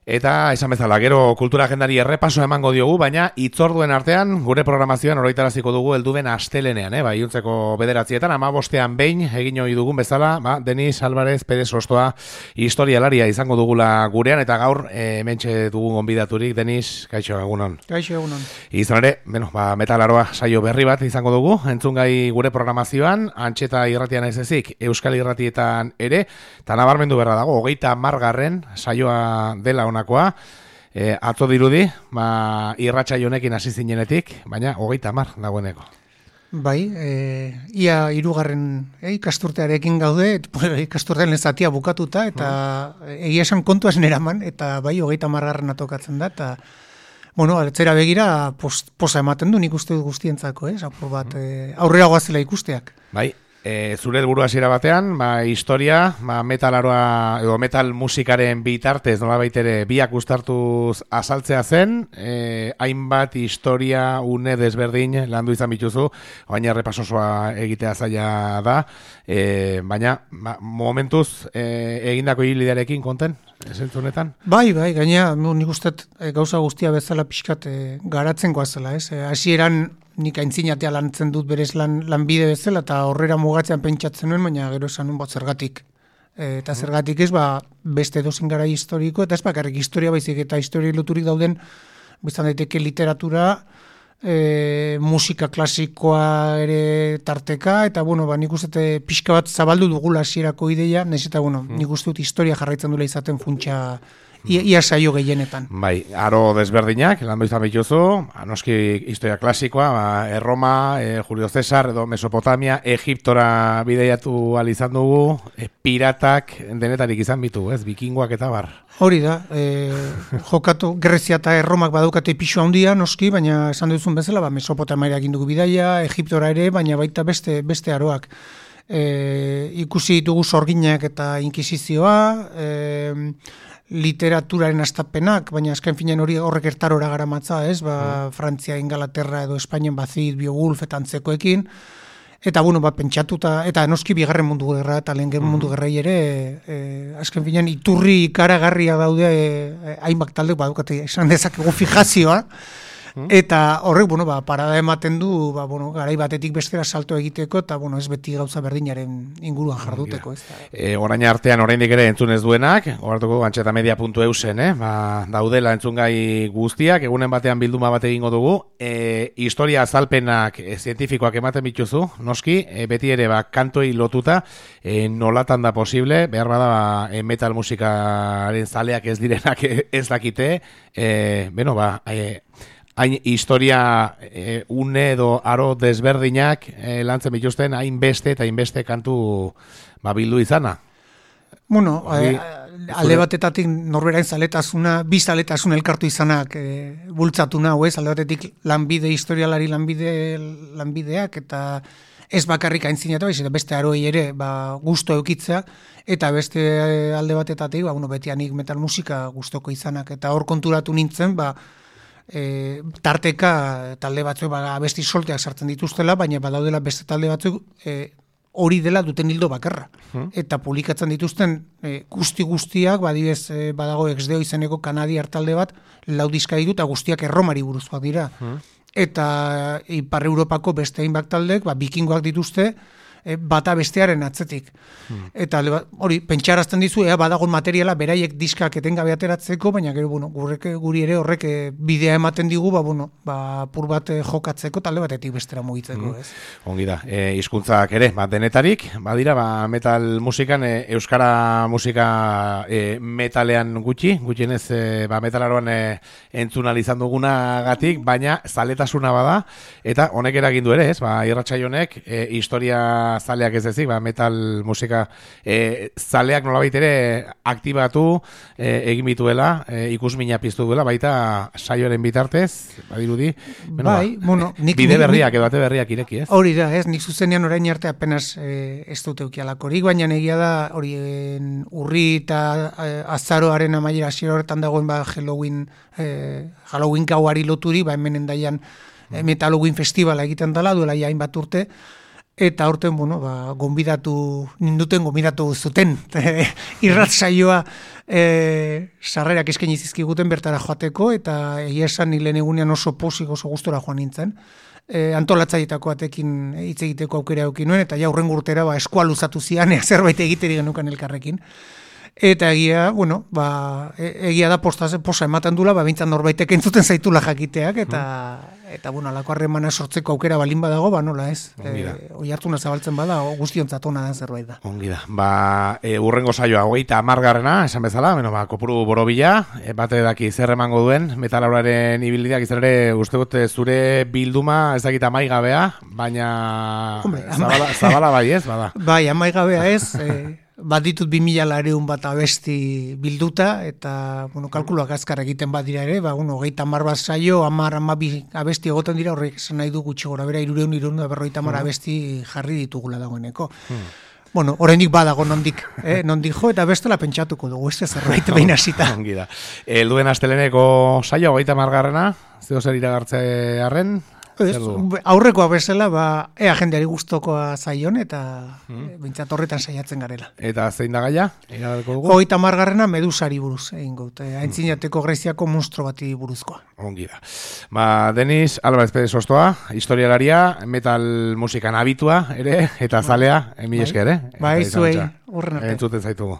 Eta esan bezala, gero kultura agendari errepaso emango diogu, baina itzorduen artean gure programazioan oroitaraziko dugu helduen astelenean, iluntzeko 9:00etan, 15:00 behin egin ohi dugun bezala, Denis Álvarez Pérez Ostoa historialaria izango dugula gurean, eta gaur hementxe dugun gonbidaturik. Denis, kaixo egunon. Kaixo egunon. Izan ere, metalaroa saio berri bat izango dugu, entzungai gure programazioan, Antxeta irratian ez ezik, Euskal Irratietan ere, eta nabarmendu berra dago, 30. saioa dela onakoa, atzo dirudi, irratsaio honekin hasi zinenetik, baina 30 dagoeneko. Bai, ia 3. Ikasturtearekin gaude, ikasturtean lezatia bukatuta, eta egia esan kontua neraman, eta bai 30. tokatzen da, eta atzera begira posa ematen du nik uste dut guztientzako, apur bat aurrera goazela ikusteak. Bai. Zure helburu hasiera batean, historia, metalaroa edo metal musikaren bitartez nolabait ere biak uztartuz azaltzea zen, hainbat historia une desberdin landu izan bituzu, baina errepasosoa egitea zaila da, baina momentuz egindako ibilbidearekin konten, esentzunetan? Bai, gaina nik uste gauza guztia bezala pixkat garatzen goazela, hasieran nik aintzinatea lantzen dut berez lanbide bezala, eta horrera mugatzean pentsatzen nuen, baina gero esan nuen zergatik. Eta zergatik ez, beste edozein garai historiko, eta ez bakarrik historia baizik, eta historia loturik dauden, biztan daiteke literatura, musika klasikoa ere tarteka, eta nik uste pixka bat zabaldu dugula hasierako ideia, nahiz eta nik uste dut historia jarraitzen dula izaten funtsa ia saio gehienetan. Bai, aro desberdinak, landu izan bituzu, noski historia klasikoa, Erroma, Julio Cesar, edo Mesopotamia, Egiptora bideiatu izan dugu, piratak denetarik izan bitu, bikingoak eta bar. Hori da, jokatu Grezia eta Erromak badaukate pisu handia, noski, baina esan duzun bezala, Mesopotamiara egin dugu bidaia, Egiptora ere, baina baita beste aroak. Ikusi ditugu sorginak eta inkisizioa, literaturaren astapenak, baina azken finean horrek ertarora garamatza, Frantzia, Ingalaterra edo Espainian Bazid, Beowulf eta antzekoekin, eta pentsatuta, eta noski bigarren mundu gerra eta lehen mundu gerrai ere, azken finean iturri ikaragarria daude hainbat talde badukate esan dezakegu fijazioa, eta horrek, parada ematen du, garai batetik bestera salto egiteko, eta ez beti gauza berdinaren inguruan jarduteko. Orain artean, oraindik ere entzun ez duenak, horretuko antxetamedia.eusen, daudela entzungai guztiak, egunen batean bilduma bat egingo dugu, historia azalpenak zientifikoak ematen bituzu, noski, beti ere kantuei lotuta, nolatan da posible, behar bada metal musikaren zaleak ez direnak ez dakite, hain historia une edo aro desberdinak lantzen bituzten hainbeste eta hainbeste kantu bildu izana. Alde batetatik norberain zaletasuna, bi zaletasun elkartu izanak bultzatu nahu, alde batetik historialari lanbideak, eta ez bakarrik aintzinatu, beste aroi ere gusto eukitzea, eta beste alde batetatik, betianik metal musika gustoko izanak, eta hor konturatu nintzen, tarteka talde batzuk abesti solteak sartzen dituztela, baina badaudela beste talde batzuk hori dela duten hildo bakarra. Eta publikatzen dituzten guztiak, badago Exdeo izeneko kanadiar talde bat, 4 diska ditu eta guztiak Erromari buruzkoak dira. Eta Ipar Europako beste hainbat taldek, bikingoak dituzte, bata bestearen atzetik. Eta hori, pentsarazten dizu, badagon materiala beraiek diskak etengabe ateratzeko, baina gero, guri ere horrek bidea ematen digu, pur bat jokatzeko, talde batetik bestera mugitzeko. Ongi da, hizkuntzak ere, denetarik, badira, metal musikan, euskara musika metalean gutxienez metalaroan entzun izan dugunagatik, baina zaletasuna bada, eta honek eragin du ere, irratsaio honek, historia zaleak ez ezik, metal musika zaleak nolabait ere aktibatu egin bituela, ikusmina piztu duela, baita saioaren bitartez, badirudi, bide berriak edo ate berriak ireki, ez? Hori da, nik zuzenean orain arte apenas ez dut eukialakorik, baina egia da horien urri eta azaroaren amaiera hasiera horretan dagoen Halloween gauari loturi, hemen endaian Metal Halloween festivala egiten dela, duela hainbat urte, Eta aurten, gonbidatu zuten irrat saioa sarrerak eskaini zizkiguten bertara joateko, eta egia esan nilen egunean oso posik, oso gustora joan nintzen. Antolatzaietako batekin hitz egiteko aukera eduki nuen, eta ja hurrengo urtera eskua luzatu zian, zerbait egiteri genukan elkarrekin. Eta egia, egia da posa ematen dula, bintzan norbaitek entzuten zaitula jakiteak, eta alako harremana sortzeko aukera balin badago, nola ez. Oi hartuna zabaltzen bada, guztiontzat ona da zerbait da. Ongi da. Urrengo saioa, 30. esan bezala, kopuru borobila, bate daki zer emango duen, metalauraren ibilbideak izan ere, uste dut zure bilduma ez dakit amaigabea, baina zabala bai ez, bada. Bai, amaigabea ez, bat ditut 2000 bat abesti bilduta, eta, kalkuloak azkar egiten bat dira ere, 30 bat saio, 10 abesti egoten dira, horrek esan nahi du gutxi gora bera, 250 abesti jarri ditugula dagoeneko. Oraindik badago nondik jo, eta bestela pentsatuko dugu, ez zerbait behin hasita. Ongi da. Helduen asteleneko saio, 30. Zeo zer iragartze harren? Aurrekoa bezala, ea jendeari gustokoa zaion, eta bintzat horretan saiatzen garela. Eta zein da gaia? 30. Medusari buruz, egin gut. Aintzinateko Greziako monstro bati buruzkoa. Ongi da. Denis Álvarez Pérez Ostoa, historialaria, metal musikan abitua ere, eta zalea, mila esker, Bai, zuei, horren arte. Entzuten zaitugu.